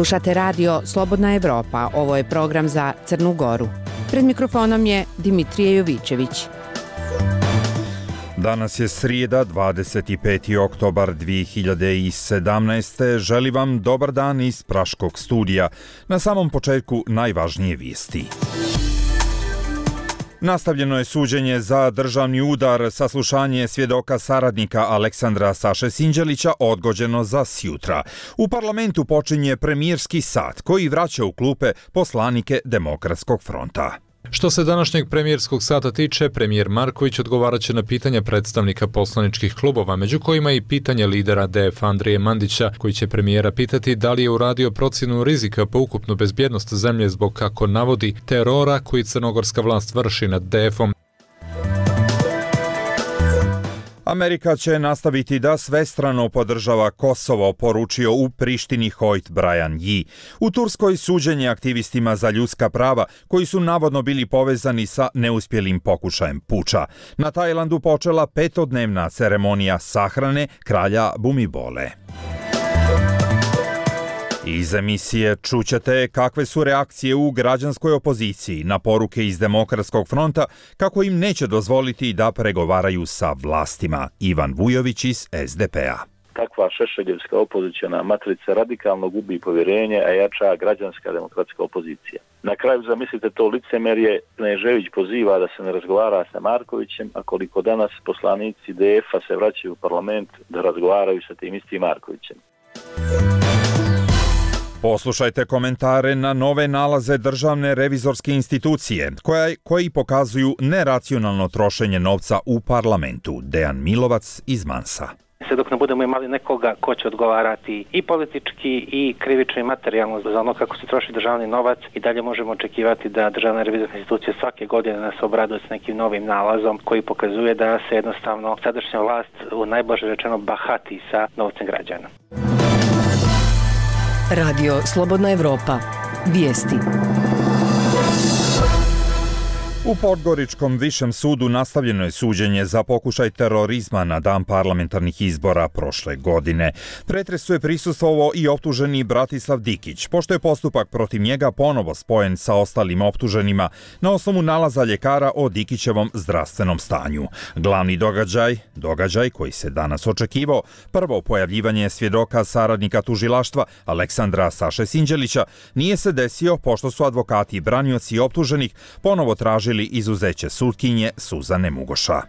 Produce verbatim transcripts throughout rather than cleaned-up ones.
Slušate radio Slobodna Evropa, ovo je program za Crnu Goru. Pred mikrofonom je Dimitrije Jovićević. Danas je srijeda, dvadeset peti oktobar dvije hiljade sedamnaeste. Želim vam dobar dan iz Praškog studija. Na samom početku najvažnije vijesti. Nastavljeno je suđenje za državni udar. Saslušanje svjedoka saradnika Aleksandra Saše Sinđelića odgođeno za sjutra. U parlamentu počinje premijerski sat koji vraća u klupe poslanike Demokratskog fronta. Što se današnjeg premijerskog sata tiče, premijer Marković odgovarat će na pitanja predstavnika poslaničkih klubova, među kojima i pitanje lidera D F Andrije Mandića, koji će premijera pitati da li je uradio procjenu rizika po ukupnu bezbjednost zemlje zbog, kako navodi, terora koji crnogorska vlast vrši nad D F-om. Amerika će nastaviti da svestrano podržava Kosovo, poručio u Prištini Hojt Brian Yi. U Turskoj suđenje aktivistima za ljudska prava koji su navodno bili povezani sa neuspjelim pokušajem puča. Na Tajlandu počela petodnevna ceremonija sahrane kralja Bumibole. Iz emisije čućete kakve su reakcije u građanskoj opoziciji na poruke iz Demokratskog fronta kako im neće dozvoliti da pregovaraju sa vlastima. Ivan Vujović iz S D P-a. Takva šešeljevska opozicijona matrica radikalno gubi povjerenje, a jača građanska demokratska opozicija. Na kraju zamislite to licemerje, Knežević poziva da se ne razgovara sa Markovićem, a koliko danas poslanici D F-a se vraćaju u parlament da razgovaraju sa tim istim Markovićem. Poslušajte komentare na nove nalaze Državne revizorske institucije, koja, koji pokazuju neracionalno trošenje novca u parlamentu. Dejan Milovac iz Mansa. Sve dok ne budemo imali nekoga ko će odgovarati i politički i krivično i materijalno za ono kako se troši državni novac, i dalje možemo očekivati da Državna revizorska institucija svake godine nas obraduje s nekim novim nalazom koji pokazuje da se jednostavno sadašnja vlast, u najblaže rečeno, bahati sa novcem građana. Radio Slobodna Evropa. Vijesti. U Podgoričkom višem sudu nastavljeno je suđenje za pokušaj terorizma na dan parlamentarnih izbora prošle godine. Pretresu je prisustvovao i optuženi Bratislav Dikić, pošto je postupak protiv njega ponovo spojen sa ostalim optuženima na osnovu nalaza ljekara o Dikićevom zdravstvenom stanju. Glavni događaj, događaj koji se danas očekivao, prvo pojavljivanje svjedoka saradnika tužilaštva Aleksandra Saše Sinđelića, nije se desio pošto su advokati i branioci optuženih ponovo tražili izuzeće sutkinje Suzane Mugoša.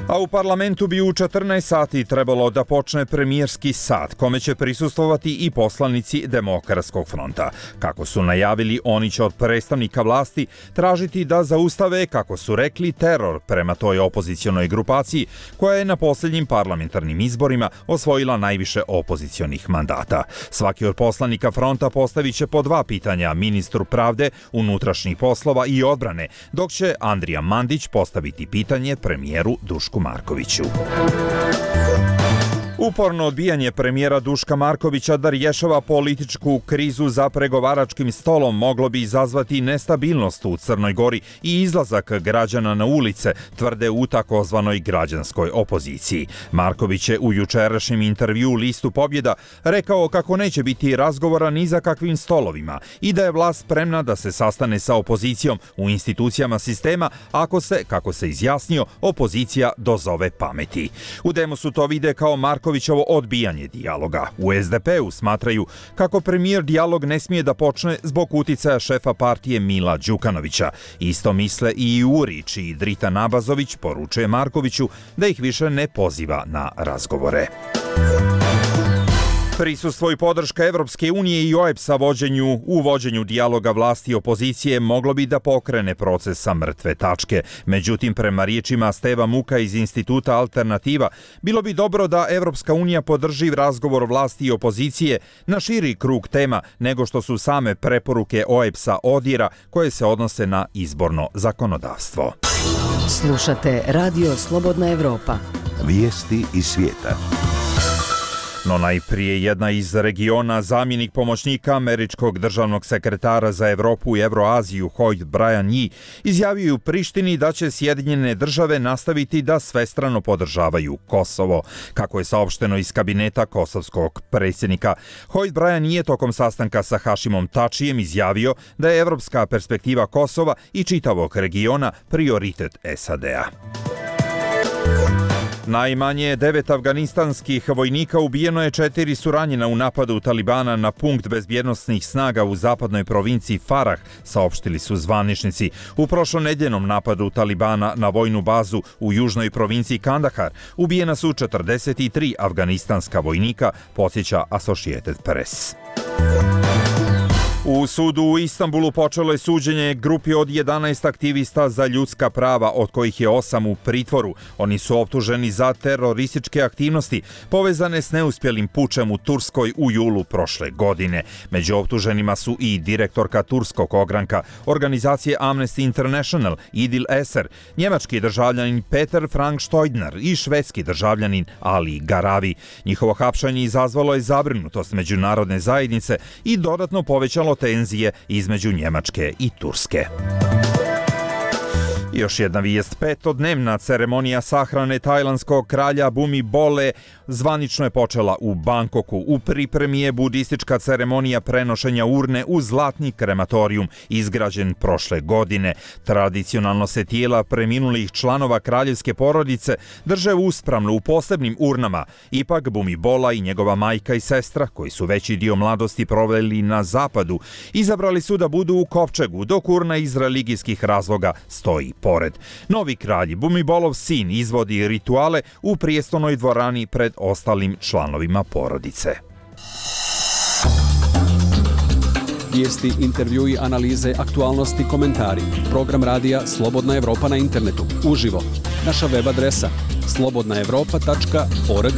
A u parlamentu bi u četrnaest sati trebalo da počne premijerski sat, kome će prisustvovati i poslanici Demokratskog fronta. Kako su najavili, oni će od predstavnika vlasti tražiti da zaustave, kako su rekli, teror prema toj opozicionoj grupaciji koja je na posljednjim parlamentarnim izborima osvojila najviše opozicionih mandata. Svaki od poslanika fronta postavit će po dva pitanja ministru pravde, unutrašnjih poslova i odbrane, dok će Andrija Mandić postaviti pitanje premijeru Dušku Markoviću. Uporno odbijanje premijera Duška Markovića da rješava političku krizu za pregovaračkim stolom moglo bi izazvati nestabilnost u Crnoj Gori i izlazak građana na ulice, tvrde u takozvanoj građanskoj opoziciji. Marković je u jučerašnjem intervjuu Listu Pobjeda rekao kako neće biti razgovora ni za kakvim stolovima i da je vlast spremna da se sastane sa opozicijom u institucijama sistema ako se, kako se izjasnio, opozicija dozove pameti. U Demu su to vide kao Marković Markovićevo odbijanje dijaloga. U S D P-u smatraju kako premijer dijalog ne smije da počne zbog uticaja šefa partije Mila Đukanovića. Isto misle i Urić i Drita Nabazović poručuje Markoviću da ih više ne poziva na razgovore. Prisustvo i podrška Evropske unije i O E B S-a vođenju, u vođenju dijaloga vlasti i opozicije moglo bi da pokrene proces sa mrtve tačke. Međutim, prema riječima Steva Muka iz Instituta Alternativa, bilo bi dobro da Evropska unija podrži razgovor vlasti i opozicije na širi krug tema nego što su same preporuke O E B S-a ODIR-a koje se odnose na izborno zakonodavstvo. Slušate Radio Slobodna Evropa. Vijesti iz svijeta. No najprije jedna iz regiona, zamjenik pomoćnika američkog državnog sekretara za Evropu i Evroaziju Hoyt Brian Yee izjavio u Prištini da će Sjedinjene države nastaviti da svestrano podržavaju Kosovo. Kako je saopšteno iz kabineta kosovskog predsjednika, Hoyt Brian Yee je tokom sastanka sa Hašimom Tačijem izjavio da je evropska perspektiva Kosova i čitavog regiona prioritet S A D-a. Najmanje devet afganistanskih vojnika ubijeno je, četiri su ranjena u napadu Talibana na punkt bezbjednosnih snaga u zapadnoj provinciji Farah, saopštili su zvaničnici. U prošlonedjeljnom napadu Talibana na vojnu bazu u južnoj provinciji Kandahar ubijena su četrdeset tri afganistanska vojnika, podsjeća Associated Press. U sudu u Istanbulu počelo je suđenje grupi od jedanaest aktivista za ljudska prava, od kojih je osam u pritvoru. Oni su optuženi za terorističke aktivnosti povezane s neuspjelim pučem u Turskoj u julu prošle godine. Među optuženima su i direktorka turskog ogranka organizacije Amnesty International Idil Eser, njemački državljanin Peter Frank Stojdner i švedski državljanin Ali Garavi. Njihovo hapšanje izazvalo je zabrinutost međunarodne zajednice i dodatno povećalo tenzije između Njemačke i Turske. Još jedna vijest, petodnevna ceremonija sahrane tajlandskog kralja Bhumibole zvanično je počela u Bangkoku. U pripremi je budistička ceremonija prenošenja urne u zlatni krematorijum, izgrađen prošle godine. Tradicionalno se tijela preminulih članova kraljevske porodice drže uspravno u posebnim urnama. Ipak Bhumibola i njegova majka i sestra, koji su veći dio mladosti proveli na zapadu, izabrali su da budu u kovčegu, dok urna iz religijskih razloga stoji pored. Novi kralj, Bhumibolov sin, izvodi rituale u prijestolnoj dvorani pred ostalim članovima porodice. Vijesti, intervjui, analize, aktualnosti, komentari. Program radija Slobodna Evropa na internetu. Uživo. Naša web adresa slobodna evropa tačka org.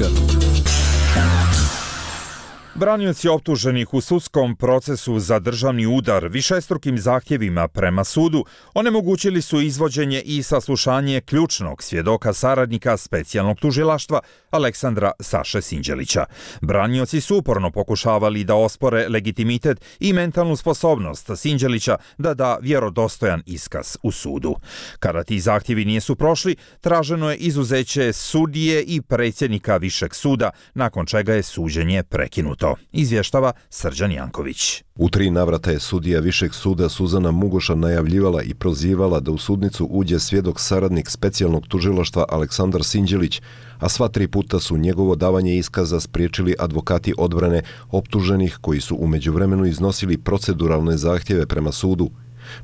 Branioci optuženih u sudskom procesu za državni udar višestrukim zahtjevima prema sudu onemogućili su izvođenje i saslušanje ključnog svjedoka saradnika specijalnog tužilaštva Aleksandra Saše Sinđelića. Branioci su uporno pokušavali da ospore legitimitet i mentalnu sposobnost Sinđelića da da vjerodostojan iskaz u sudu. Kada ti zahtjevi nisu prošli, traženo je izuzeće sudije i predsjednika Višeg suda, nakon čega je suđenje prekinuto. Izvještava Srđan Janković. U tri navrata je sudija Višeg suda Suzana Mugoša najavljivala i prozivala da u sudnicu uđe svjedok saradnik specijalnog tužilaštva Aleksandar Sinđelić, a sva tri puta su njegovo davanje iskaza spriječili advokati odbrane optuženih koji su u međuvremenu iznosili proceduralne zahtjeve prema sudu.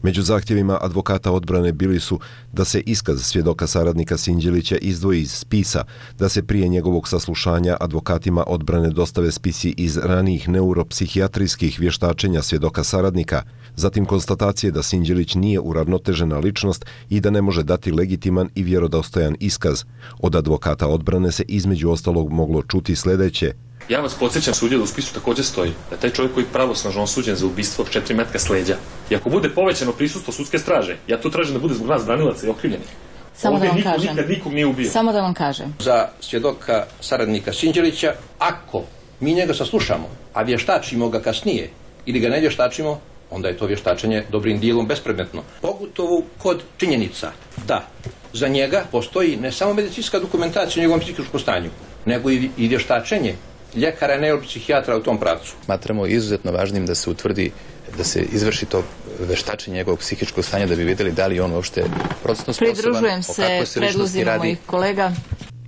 Među zahtjevima advokata odbrane bili su da se iskaz svjedoka saradnika Sinđelića izdvoji iz spisa, da se prije njegovog saslušanja advokatima odbrane dostave spisi iz ranijih neuropsihijatrijskih vještačenja svjedoka saradnika, zatim konstatacije da Sinđelić nije uravnotežena ličnost i da ne može dati legitiman i vjerodostojan iskaz. Od advokata odbrane se između ostalog moglo čuti sljedeće. Ja vas podsjećam, sudija, da u spisu također stoji da taj čovjek koji je pravosnažno osuđen za ubistvo četiri metka s leđa. I ako bude povećano prisustvo sudske straže, ja to tražim da bude zbog nas branilaca i okrivljenih. Samo Ovdje da vam niko kažem. nikad nikog nije ubio. Samo da vam kažem. Za svjedoka saradnika Sinđelića, ako mi njega saslušamo, a vještačimo ga kasnije ili ga ne vještačimo, onda je to vještačenje dobrim dijelom bespredmetno. Pogotovo kod činjenica da za njega postoji ne samo medicinska dokumentacija o njegovom psihičkom stanju, nego i, i vještačenje ljekara, neuropsihijatra u tom pravcu. Smatramo izuzetno važnim da se utvrdi, da se izvrši to veštačenje njegovog psihičkog stanja, da bi vidjeli da li on uopšte procesno sposoban. Pridružujem se predlozima mojih kolega.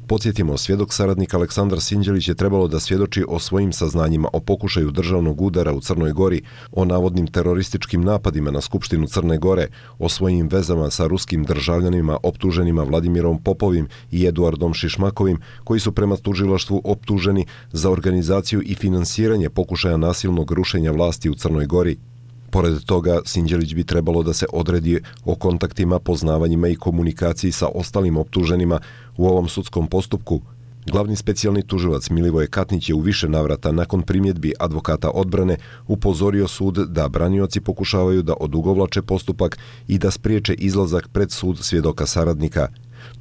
Podsjetimo, svjedok saradnik Aleksandar Sinđelić je trebalo da svjedoči o svojim saznanjima o pokušaju državnog udara u Crnoj Gori, o navodnim terorističkim napadima na Skupštinu Crne Gore, o svojim vezama sa ruskim državljanima optuženima Vladimirom Popovim i Eduardom Šišmakovim, koji su prema tužilaštvu optuženi za organizaciju i finansiranje pokušaja nasilnog rušenja vlasti u Crnoj Gori. Pored toga, Sinđelić bi trebalo da se odredi o kontaktima, poznavanjima i komunikaciji sa ostalim optuženima u ovom sudskom postupku. Glavni specijalni tužilac Milivoje Katnić je u više navrata nakon primjedbi advokata odbrane upozorio sud da branioci pokušavaju da odugovlače postupak i da spriječe izlazak pred sud svjedoka saradnika.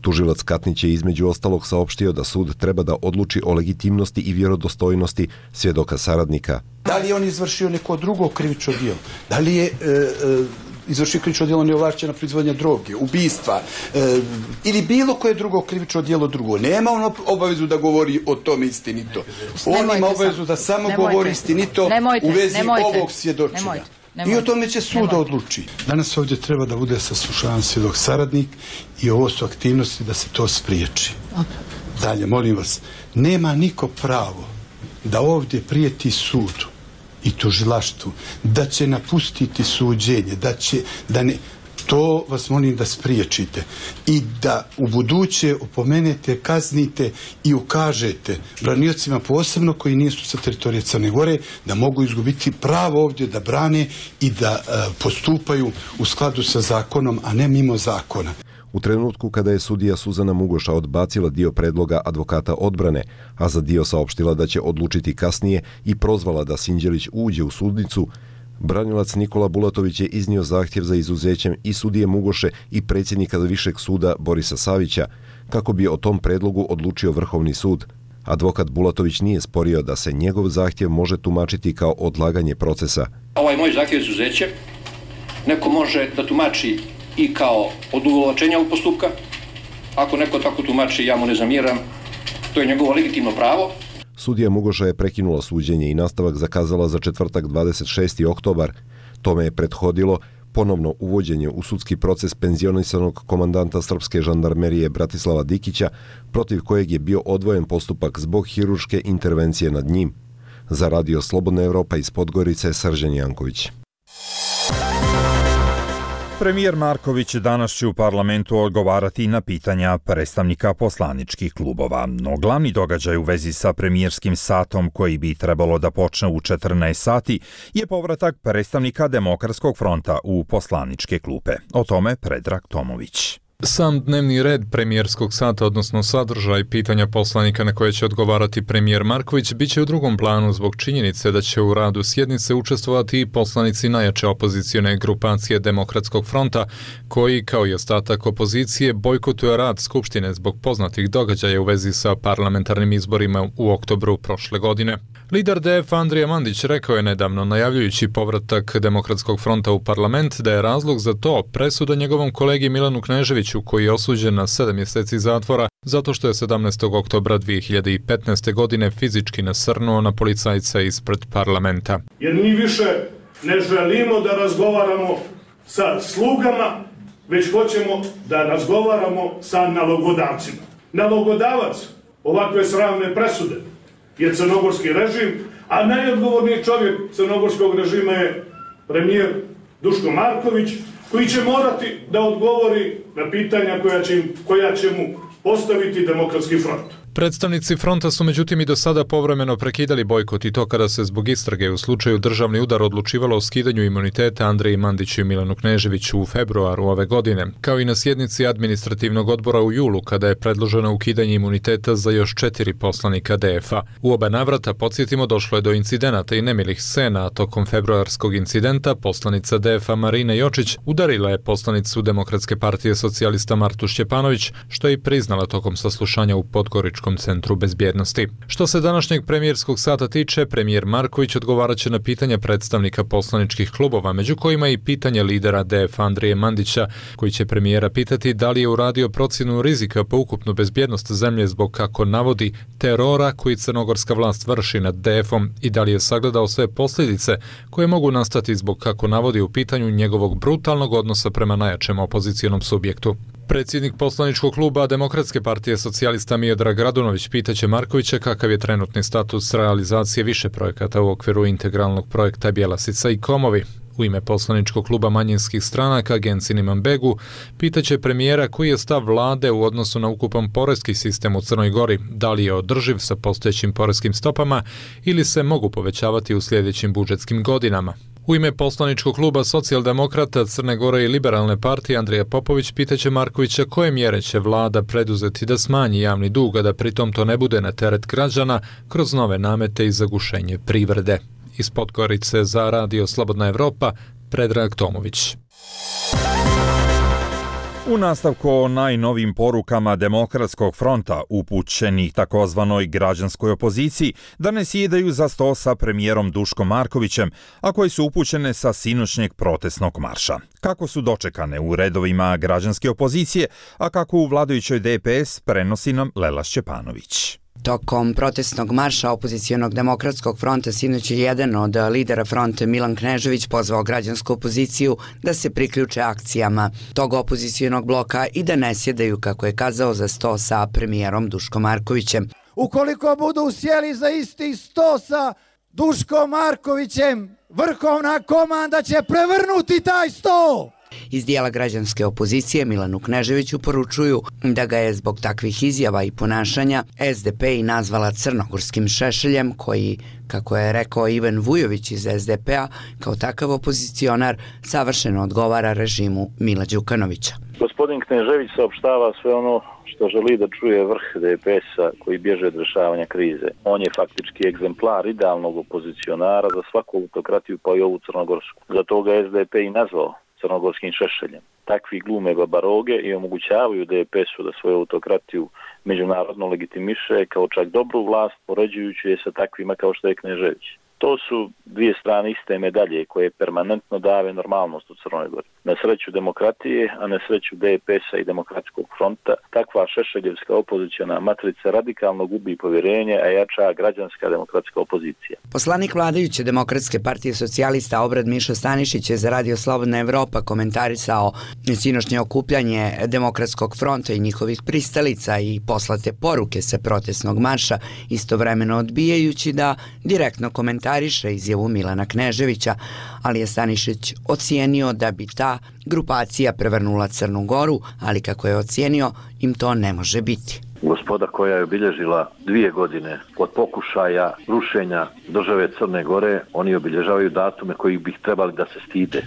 Tužilac Katnić je između ostalog saopštio da sud treba da odluči o legitimnosti i vjerodostojnosti svjedoka saradnika. Da li je on izvršio neko drugo krivično djelo? Da li je e, e, izvršio krivično djelo neovlašćena proizvodnja droge, ubistva e, ili bilo koje drugo krivično djelo drugo? Nema on obavezu da govori o tome istinito. On ima obavezu da samo nemojte. govori istinito nemojte. u vezi nemojte. ovog svjedočenja. Nemojte. Nemojte. I o tome će sud odluči. Danas ovdje treba da bude saslušavan svjedok saradnik i ovo su aktivnosti da se to spriječi. Dalje, molim vas, nema niko pravo da ovdje prijeti sudu i tužilaštvu, da će napustiti suđenje, da će, da ne, to vas molim da spriječite i da u buduće opomenete, kaznite i ukažete braniocima posebno koji nisu sa teritorije Crne Gore da mogu izgubiti pravo ovdje da brane i da e, postupaju u skladu sa zakonom, a ne mimo zakona. U trenutku kada je sudija Suzana Mugoša odbacila dio predloga advokata odbrane, a za dio saopštila da će odlučiti kasnije i prozvala da Sinđelić uđe u sudnicu, branilac Nikola Bulatović je iznio zahtjev za izuzećem i sudije Mugoše i predsjednika Višeg suda Borisa Savića, kako bi o tom predlogu odlučio Vrhovni sud. Advokat Bulatović nije sporio da se njegov zahtjev može tumačiti kao odlaganje procesa. Ovaj moj zahtjev za izuzeće neko može da tumači i kao odugovlačenja ovog postupka. Ako neko tako tumači, ja mu ne zamjeram, to je njegovo legitimno pravo. Sudija Mugoša je prekinula suđenje i nastavak zakazala za četvrtak dvadeset šesti oktobar. Tome je prethodilo ponovno uvođenje u sudski proces penzionisanog komandanta srpske žandarmerije Bratislava Dikića, protiv kojeg je bio odvojen postupak zbog hirurške intervencije nad njim. Za Radio Slobodna Evropa iz Podgorice, Srđan Janković. Premijer Marković danas će u parlamentu odgovarati na pitanja predstavnika poslaničkih klubova. No glavni događaj u vezi sa premijerskim satom koji bi trebalo da počne u četrnaest sati je povratak predstavnika Demokratskog fronta u poslaničke klupe. O tome Predrag Tomović. Sam dnevni red premijerskog sata, odnosno sadržaj pitanja poslanika na koje će odgovarati premijer Marković, bit će u drugom planu zbog činjenice da će u radu sjednice učestvovati i poslanici najjače opozicione grupacije Demokratskog fronta, koji, kao i ostatak opozicije, bojkotuje rad Skupštine zbog poznatih događaja u vezi sa parlamentarnim izborima u oktobru prošle godine. Lider D F Andrija Mandić rekao je nedavno, najavljujući povratak Demokratskog fronta u parlament, da je razlog za to presuda njegovom kolegi Milanu Kneževiću, koji je osuđen na sedam mjeseci zatvora zato što je sedamnaestog oktobra dvije hiljade petnaeste. godine fizički nasrnuo na policajca ispred parlamenta. Jer mi više ne želimo da razgovaramo sa slugama, već hoćemo da razgovaramo sa nalogodavcima. Nalogodavac ovakve sramne presude je crnogorski režim, a najodgovorniji čovjek crnogorskog režima je premijer Duško Marković, koji će morati da odgovori na pitanja koja će, koja će mu postaviti Demokratski front. Predstavnici fronta su međutim i do sada povremeno prekidali bojkot i to kada se zbog istrage u slučaju državni udar odlučivalo o skidanju imuniteta Andreji Mandiću i Milanu Kneževiću u februaru ove godine, kao i na sjednici administrativnog odbora u julu kada je predloženo ukidanje imuniteta za još četiri poslanika D F-a. U oba navrata, podsjetimo, došlo je do incidenata i nemilih scena, a tokom februarskog incidenta poslanica D F-a Marina Jočić udarila je poslanicu Demokratske partije socijalista Martu Šćepanović, što je i priznala tokom saslušanja u Podgoričkom centru bezbjednosti. Što se današnjeg premijerskog sata tiče, premijer Marković odgovarat će na pitanja predstavnika poslaničkih klubova, među kojima i pitanje lidera D F Andrije Mandića, koji će premijera pitati da li je uradio procjenu rizika po ukupnu bezbjednost zemlje zbog, kako navodi, terora koji crnogorska vlast vrši nad D F-om i da li je sagledao sve posljedice koje mogu nastati zbog, kako navodi, u pitanju njegovog brutalnog odnosa prema najjačem opozicijonom subjektu. Predsjednik poslaničkog kluba Demokratske partije socijalista Miodrag Radunović pitaće Markovića kakav je trenutni status realizacije više projekata u okviru integralnog projekta Bjelasica i Komovi. U ime poslaničkog kluba manjinskih stranaka Gencin Imanbegu pitaće premijera koji je stav vlade u odnosu na ukupan porezki sistem u Crnoj Gori, da li je održiv sa postojećim porezkim stopama ili se mogu povećavati u sljedećim budžetskim godinama. U ime poslaničkog kluba Socijaldemokrata Crne Gore i Liberalne partije Andrija Popović pitaće Markovića koje mjere će vlada preduzeti da smanji javni dug, a da pritom to ne bude na teret građana kroz nove namete i zagušenje privrede. Iz Podgorice za Radio Slobodna Evropa, Predrag Tomović. U nastavku o najnovim porukama Demokratskog fronta upućenih takozvanoj građanskoj opoziciji da ne sjedaju za sto sa premijerom Duškom Markovićem, a koje su upućene sa sinoćnjeg protestnog marša. Kako su dočekane u redovima građanske opozicije, a kako u vladajućoj D P S, prenosi nam Lela Šćepanović. Tokom protestnog marša opozicionog Demokratskog fronta sinoć je jedan od lidera fronta Milan Knežević pozvao građansku opoziciju da se priključe akcijama tog opozicionog bloka i da ne sjedaju, kako je kazao, za sto sa premijerom Duškom Markovićem. Ukoliko budu sjeli za isti sto sa Duškom Markovićem, vrhovna komanda će prevrnuti taj sto! Iz dijela građanske opozicije Milanu Kneževiću poručuju da ga je zbog takvih izjava i ponašanja S D P i nazvala crnogorskim šešeljem koji, kako je rekao Ivan Vujović iz S D P-a, kao takav opozicionar savršeno odgovara režimu Mila Đukanovića. Gospodin Knežević saopštava sve ono što želi da čuje vrh D P S-a koji bježe od rješavanja krize. On je faktički egzemplar idealnog opozicionara za svaku autokratiju, pa i ovu crnogorsku. Zato ga S D P i nazvao crnogorskim šešeljem. Takvi glume babaroge i omogućavaju D P S-u da svoju autokratiju međunarodno legitimiše kao čak dobru vlast, poređujući je sa takvima kao što je Knežević. To su dvije strane iste medalje koje permanentno dave normalnost u Crnoj Gori. Na sreću demokratije, a na sreću D P S-a i Demokratskog fronta, takva šešeljevska opoziciona matrica radikalno gubi povjerenje, a jača građanska demokratska opozicija. Poslanik vladajuće Demokratske partije socijalista Obrad Mišo Stanišić je za Radio Slobodna Evropa komentarisao sinoćnje okupljanje Demokratskog fronta i njihovih pristalica i poslate poruke sa protestnog marša, istovremeno odbijajući da direktno komentariše izjavu Milana Kneževića, ali je Stanišić ocijenio da bi ta grupacija prevrnula Crnu Goru, ali kako je ocijenio, im to ne može biti. Gospoda koja je obilježila dvije godine od pokušaja rušenja države Crne Gore, oni obilježavaju datume koji bi trebali da se stide.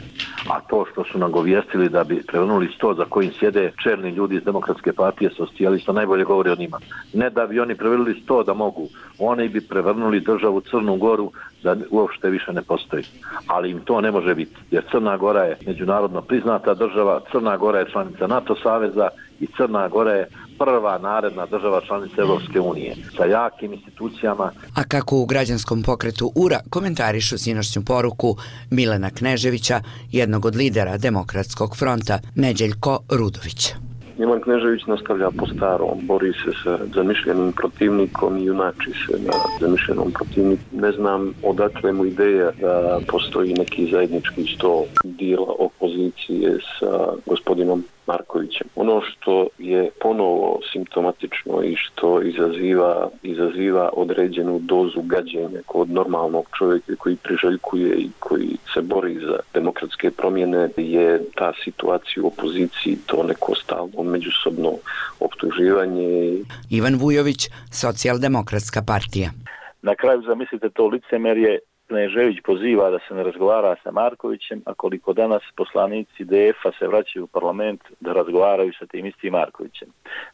A to što su nagovijestili da bi prevrnuli sto za kojim sjede čelni ljudi iz Demokratske partije socijalista, najbolje govori o njima. Ne da bi oni prevrnuli sto da mogu, oni bi prevrnuli državu Crnu Goru da uopšte više ne postoji. Ali im to ne može biti, jer Crna Gora je međunarodno priznata država, Crna Gora je članica NATO saveza i Crna Gora je prva naredna država članica Evropske unije sa jakim institucijama. A kako u građanskom pokretu U R A komentarišu sinoćnju poruku Milana Kneževića, jednog od lidera Demokratskog fronta, Neđeljko Rudović. Milan Knežević nastavlja po starom, bori se sa zamišljenim protivnikom i junači se na zamišljenom protivniku. Ne znam odakle mu ideja da postoji neki zajednički sto dijela opozicije sa gospodinom Markovićem. Ono što je ponovo simptomatično i što izaziva, izaziva određenu dozu gađenja kod normalnog čovjeka koji priželjkuje i koji se bori za demokratske promjene je ta situacija u opoziciji, to neko stalno međusobno optuživanje. Ivan Vujović, Socijaldemokratska partija. Na kraju zamislite to licemerje, Knežević poziva da se ne razgovara sa Markovićem, a koliko danas poslanici D F-a se vraćaju u parlament da razgovaraju sa tim istim Markovićem.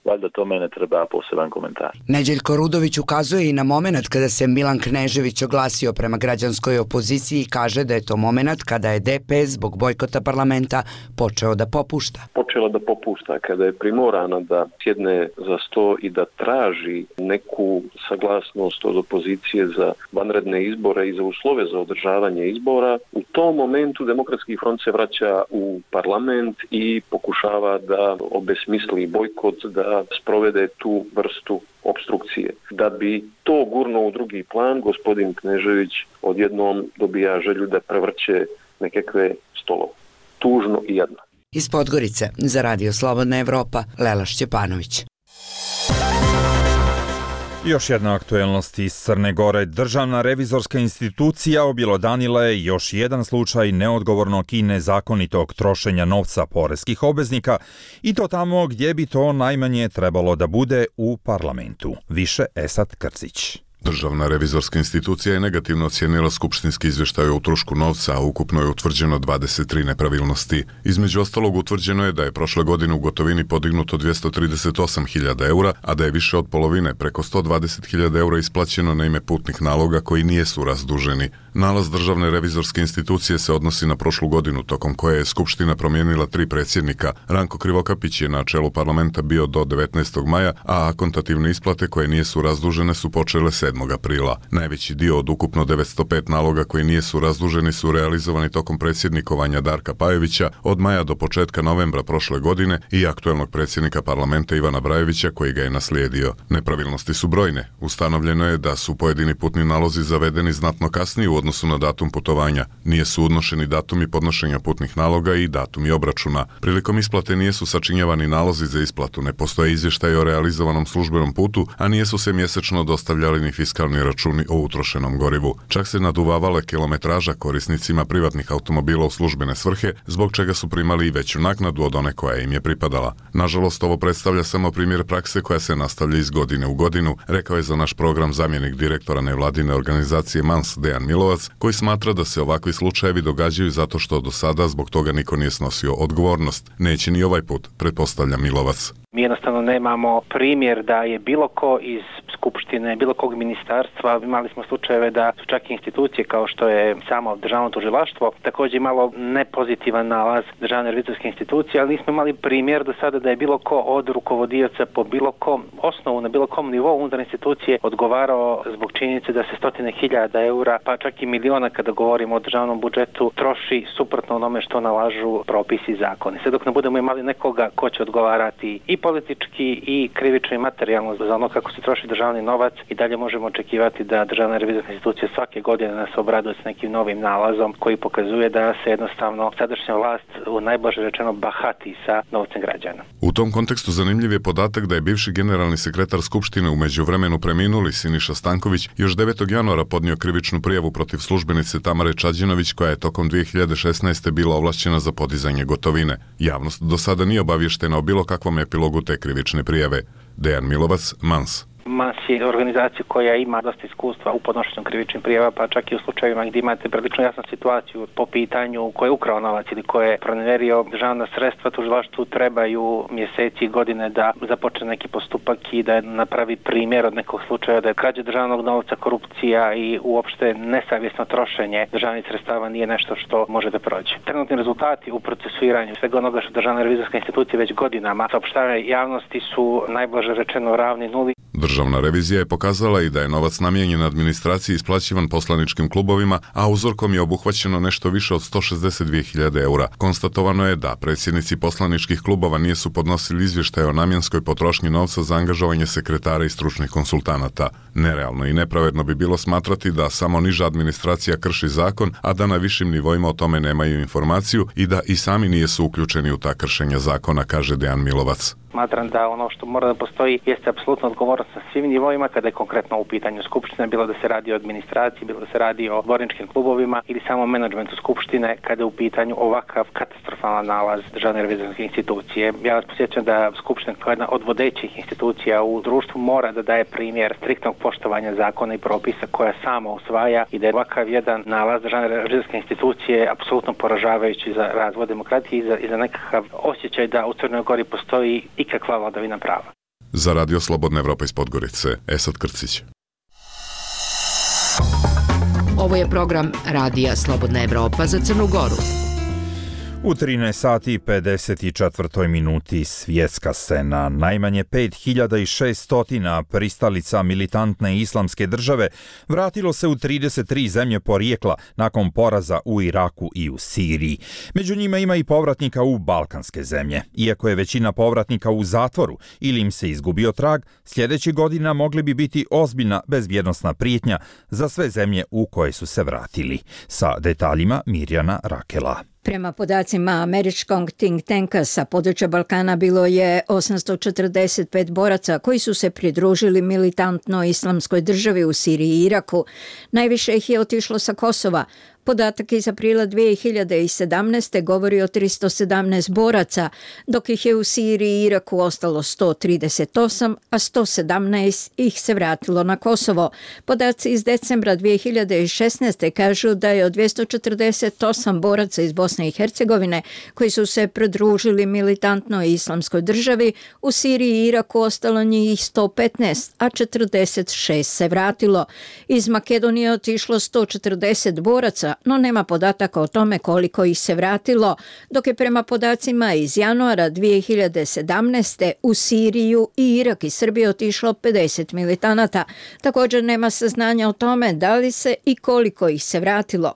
Valjda to mene treba poseban komentar. Neđeljko Rudović ukazuje i na moment kada se Milan Knežević oglasio prema građanskoj opoziciji i kaže da je to moment kada je D P S zbog bojkota parlamenta počeo da popušta. Počela da popušta kada je primorana da sjedne za sto i da traži neku saglasnost od opozicije za vanredne izbore i za uslove za održavanje izbora. U tom momentu Demokratski front se vraća u parlament i pokušava da obesmisli bojkot, da sprovede tu vrstu opstrukcije. Da bi to gurnuo u drugi plan, gospodin Knežević odjednom dobija želju da prevrće nekakve stolove. Tužno i jadno. Iz Podgorice za Radio Slobodna Evropa, Lela Šćepanović. Još jedna aktuelnost iz Crne Gore. Državna revizorska institucija objelodanila je još jedan slučaj neodgovornog i nezakonitog trošenja novca poreskih obveznika i to tamo gdje bi to najmanje trebalo da bude, u parlamentu. Više Esad Krcić. Državna revizorska institucija je negativno ocijenila skupštinski izvještaj o utrošku novca, a ukupno je utvrđeno dvadeset tri nepravilnosti. Između ostalog utvrđeno je da je prošle godine u gotovini podignuto dvjesto trideset osam hiljada eura, a da je više od polovine, preko sto dvadeset hiljada eura isplaćeno na ime putnih naloga koji nijesu razduženi. Nalaz Državne revizorske institucije se odnosi na prošlu godinu, tokom koje je Skupština promijenila tri predsjednika. Ranko Krivokapić je na čelu parlamenta bio do devetnaestog maja, a akontativne isplate koje nijesu razdužene su počele sedmog aprila. Najveći dio od ukupno devetsto pet naloga koji nijesu razduženi su realizovani tokom predsjednikovanja Darka Pajevića od maja do početka novembra prošle godine i aktuelnog predsjednika parlamenta Ivana Brajevića koji ga je naslijedio. Nepravilnosti su brojne. Ustanovljeno je da su pojedini putni nalozi zavedeni znatno kasnije u odnosu na datum putovanja. Nije su odnošeni datumi podnošenja putnih naloga i datumi obračuna. Prilikom isplate nijesu sačinjavani nalozi za isplatu, ne postoje izvještaj o realizovanom službenom putu, a nijesu se mjesečno dostavljali ni fiskalni računi o utrošenom gorivu. Čak se naduvavala kilometraža korisnicima privatnih automobila u službene svrhe, zbog čega su primali i veću naknadu od one koja im je pripadala. Nažalost, ovo predstavlja samo primjer prakse koja se nastavlja iz godine u godinu, rekao je za naš program zamjenik direktora nevladine organizacije Mans Dejan Milovac, koji smatra da se ovakvi slučajevi događaju zato što do sada zbog toga niko nije snosio odgovornost. Neće ni ovaj put, pretpostavlja Milovac. Mi jednostavno nemamo primjer da je bilo ko iz Skupštine, bilo kog ministarstva, imali smo slučajeve da su čak i institucije kao što je samo državno tužilaštvo također imalo nepozitivan nalaz državne revizorske institucije, ali nismo imali primjer do sada da je bilo ko od rukovodioca po bilo kom osnovu, na bilo kom nivou unutar institucije odgovarao zbog činjenice da se stotine hiljada eura, pa čak i miliona kada govorimo o državnom budžetu, troši suprotno onome što nalažu propisi i zakoni. Sve dok ne budemo imali nekoga ko će odgovarati i politički i krivično i materijalno za ono kako se troši državni novac, i dalje možemo očekivati da državna revizorska institucija svake godine nas obraduje s nekim novim nalazom koji pokazuje da se jednostavno sadašnja vlast u najblaže rečeno bahati sa novcem građana. U tom kontekstu zanimljiv je podatak da je bivši generalni sekretar Skupštine u međuvremenu preminuli Siniša Stanković još devetog januara podnio krivičnu prijavu protiv službenice Tamare Čađinović koja je tokom dvije hiljade šesnaeste bila ovlašćena za podizanje gotovine. Javnost do sada nije obavještena o bilo kakvom epilogu te krivične prijave. Dejan Milovac, Mans. Mans je organizacija koja ima dosta iskustva u podnošenju krivičnih prijava, pa čak i u slučajevima gdje imate prilično jasnu situaciju po pitanju ko je ukrao novac ili ko je proneverio državna sredstva, tužilaštvu trebaju mjeseci i godine da započne neki postupak i da napravi primjer od nekog slučaja da je krađa državnog novca, korupcija i uopšte nesavjesno trošenje državnih sredstava nije nešto što može da prođe. Trenutni rezultati u procesuiranju svega onoga što državna revizorska institucija već godinama saopštava javnosti su najblaže rečeno ravni nuli. Državna revizija je pokazala i da je novac namijenjen administraciji isplaćivan poslaničkim klubovima, a uzorkom je obuhvaćeno nešto više od sto šezdeset dvije hiljade eura. Konstatovano je da predsjednici poslaničkih klubova nisu podnosili izvještaje o namjenskoj potrošnji novca za angažovanje sekretara i stručnih konsultanata. Nerealno i nepravedno bi bilo smatrati da samo niža administracija krši zakon, a da na višim nivoima o tome nemaju informaciju i da i sami nisu uključeni u ta kršenja zakona, kaže Dejan Milovac. Smatram da ono što mora da postoji jeste apsolutno odgovornost na svim nivoima kada je konkretno u pitanju Skupštine, bilo da se radi o administraciji, bilo da se radi o dvorničkim klubovima ili samo menadžmentu Skupštine kada je u pitanju ovakav katastrofalan nalaz državne revizorske institucije. Ja vas posjećam da Skupština kao jedna od vodećih institucija u društvu mora da daje primjer striktnog poštovanja zakona i propisa koja sama usvaja i da je ovakav jedan nalaz državne revizorske institucije apsolutno poražavajući za razvoj demokratije i za, i za nekakav osjećaj da u Crnoj Gori postoji ikakva vladavina prava. Za Radio Slobodna Evropa iz Podgorice, Esad Krcić. Ovo je program Radija Slobodna Evropa za Crnu Goru. U trinaest sati i pedeset četiri minuti svjetska scena. Najmanje pet hiljada šesto pristalica militantne islamske države vratilo se u trideset tri zemlje porijekla nakon poraza u Iraku i u Siriji. Među njima ima i povratnika u balkanske zemlje. Iako je većina povratnika u zatvoru ili im se izgubio trag, sljedećih godina mogli bi biti ozbiljna bezbjednosna prijetnja za sve zemlje u koje su se vratili. Sa detaljima Mirjana Rakela. Prema podacima američkog think tanka sa područja Balkana bilo je osamsto četrdeset pet boraca koji su se pridružili militantnoj islamskoj državi u Siriji i Iraku. Najviše ih je otišlo sa Kosova. Podatak iz aprila dvije hiljade sedamnaeste. govori o tristo sedamnaest boraca, dok ih je u Siriji i Iraku ostalo sto trideset osam, a sto sedamnaest ih se vratilo na Kosovo. Podaci iz decembra dvije hiljade šesnaeste. kažu da je od dvjesto četrdeset osam boraca iz Bosne i Hercegovine koji su se pridružili militantnoj islamskoj državi, u Siriji i Iraku ostalo njih sto petnaest, a četrdeset šest se vratilo. Iz Makedonije otišlo sto četrdeset boraca, no nema podataka o tome koliko ih se vratilo, dok je prema podacima iz januara dvije hiljade sedamnaeste. u Siriju i Irak i Srbiju otišlo pedeset militanata. Također nema saznanja o tome da li se i koliko ih se vratilo.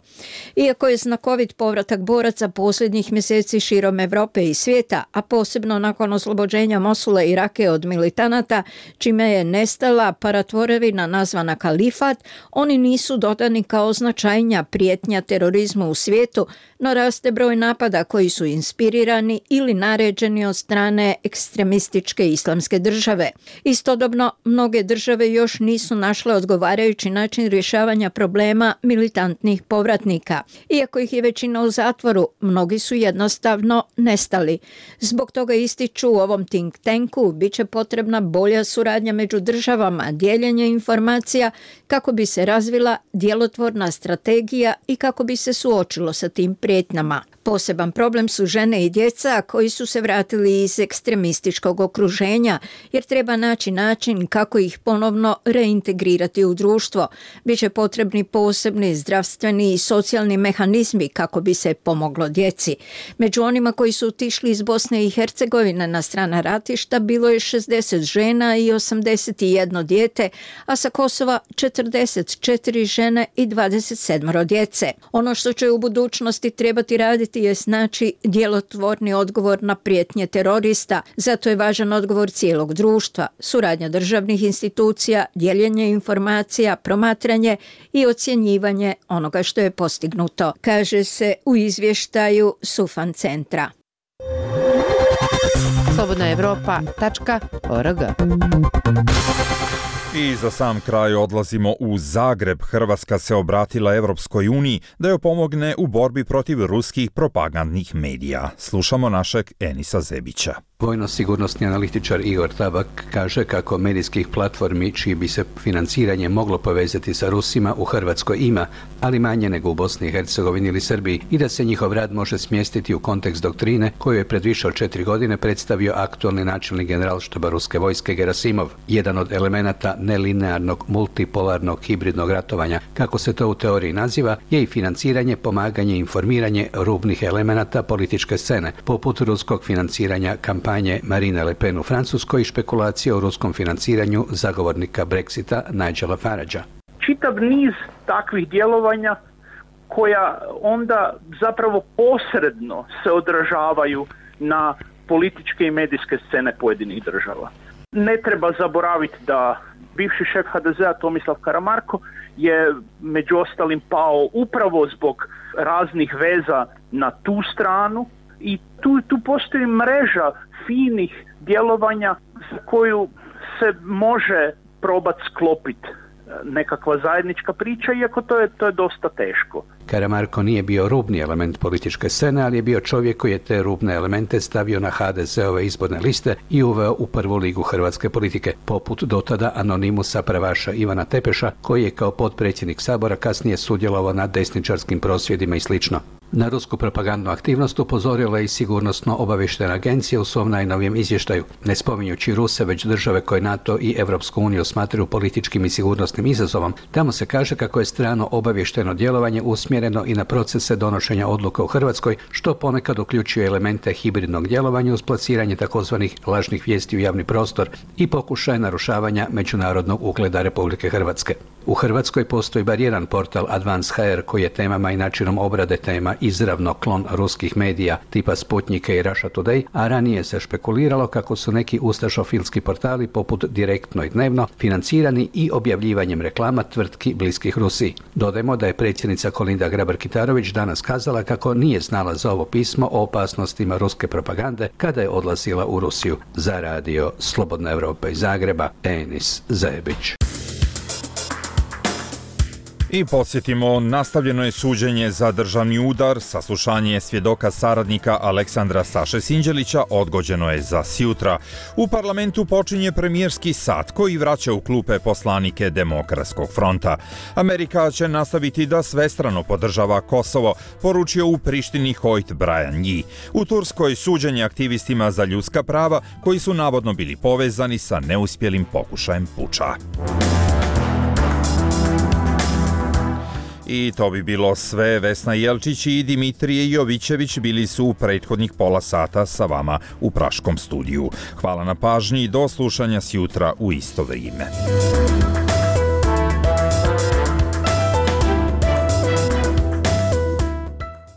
Iako je znakovit povratak boraca posljednjih mjeseci širom Evrope i svijeta, a posebno nakon oslobođenja Mosula i Rake od militanata, čime je nestala paratvorevina nazvana kalifat, oni nisu dodani kao značajnija prijetnja terorizmu u svijetu, no raste broj napada koji su inspirirani ili naređeni od strane ekstremističke islamske države. Istodobno, mnoge države još nisu našle odgovarajući način rješavanja problema militantnih povratnika. Iako ih je većina u zatvoru, mnogi su jednostavno nestali. Zbog toga ističu u ovom think tanku bit će potrebna bolja suradnja među državama, dijeljenje informacija kako bi se razvila djelotvorna strategija i kako bi se suočilo sa tim prijetnjama. Poseban problem su žene i djeca koji su se vratili iz ekstremističkog okruženja, jer treba naći način kako ih ponovno reintegrirati u društvo. Biće potrebni posebni zdravstveni i socijalni mehanizmi kako bi se pomoglo djeci. Među onima koji su otišli iz Bosne i Hercegovine na strana ratišta bilo je šezdeset žena i osamdeset jedno dijete, a sa Kosova četrdeset četiri žene i dvadeset sedam djece. Ono što će u budućnosti trebati raditi je znači djelotvorni odgovor na prijetnje terorista. Zato je važan odgovor cijelog društva, suradnja državnih institucija, dijeljenje informacija, promatranje i ocjenjivanje onoga što je postignuto, kaže se u izvještaju Sufan centra. slobodna evropa tačka org. I za sam kraj odlazimo u Zagreb. Hrvatska se obratila Evropskoj uniji da joj pomogne u borbi protiv ruskih propagandnih medija. Slušamo našeg Enisa Zebića. Vojno-sigurnosni analitičar Igor Tabak kaže kako medijskih platformi čiji bi se financiranje moglo povezati sa Rusima u Hrvatskoj ima, ali manje nego u Bosni i Hercegovini ili Srbiji, i da se njihov rad može smjestiti u kontekst doktrine koju je pred više od četiri godine predstavio aktualni načelnik generalštaba ruske vojske Gerasimov. Jedan od elemenata nelinearnog, multipolarnog, hibridnog ratovanja, kako se to u teoriji naziva, je i financiranje, pomaganje i informiranje rubnih elemenata političke scene, poput ruskog financiranja kampanje Marine Le Pen u Francuskoj i špekulacije o ruskom financiranju zagovornika Brexita Nigela Faragea. Čitav niz takvih djelovanja koja onda zapravo posredno se odražavaju na političke i medijske scene pojedinih država. Ne treba zaboraviti da bivši šef ha de zea Tomislav Karamarko je među ostalim pao upravo zbog raznih veza na tu stranu i tu, tu postoji mreža finih djelovanja za koju se može probati sklopiti nekakva zajednička priča, iako to je, to je dosta teško. Karamarko nije bio rubni element političke scene, ali je bio čovjek koji je te rubne elemente stavio na ha de zeove izborne liste i uveo u prvu ligu hrvatske politike, poput dotada anonimusa pravaša Ivana Tepeša, koji je kao potpredsjednik Sabora kasnije sudjelovao na desničarskim prosvjedima i slično. Na rusku propagandnu aktivnost upozorila je i sigurnosno obavještajna agencija u svom najnovijem izvještaju. Ne spominjući Ruse, već države koje NATO i Evropsku uniju smatraju političkim i sigurnosnim izazovom, tamo se kaže kako je strano obavještajno djelovanje usmjereno i na procese donošenja odluka u Hrvatskoj, što ponekad uključuje elemente hibridnog djelovanja uz plasiranje takozvanih lažnih vijesti u javni prostor i pokušaje narušavanja međunarodnog ugleda Republike Hrvatske. U Hrvatskoj postoji bar jedan portal Advance ha er koji je temama i načinom obrade tema izravno klon ruskih medija tipa Sputnika i Russia Today, a ranije se špekuliralo kako su neki ustašofilski portali poput Direktno i Dnevno financirani i objavljivanjem reklama tvrtki bliskih Rusiji. Dodajmo da je predsjednica Kolinda Grabar-Kitarović danas kazala kako nije znala za ovo pismo o opasnostima ruske propagande kada je odlazila u Rusiju. Za radio Slobodna Evropa iz Zagreba, Enis Zebić. I podsjetimo, nastavljeno je suđenje za državni udar, saslušanje svjedoka saradnika Aleksandra Saše Sinđelića odgođeno je za sjutra. U parlamentu počinje premijerski sat koji vraća u klupe poslanike Demokratskog fronta. Amerika će nastaviti da svestrano podržava Kosovo, poručio u Prištini Hojt Brian Nji. U Turskoj suđenje aktivistima za ljudska prava koji su navodno bili povezani sa neuspjelim pokušajem puča. I to bi bilo sve. Vesna Jelčić i Dimitrije Jovićević bili su u prethodnih pola sata sa vama u Praškom studiju. Hvala na pažnji i do slušanja sjutra u isto vrijeme.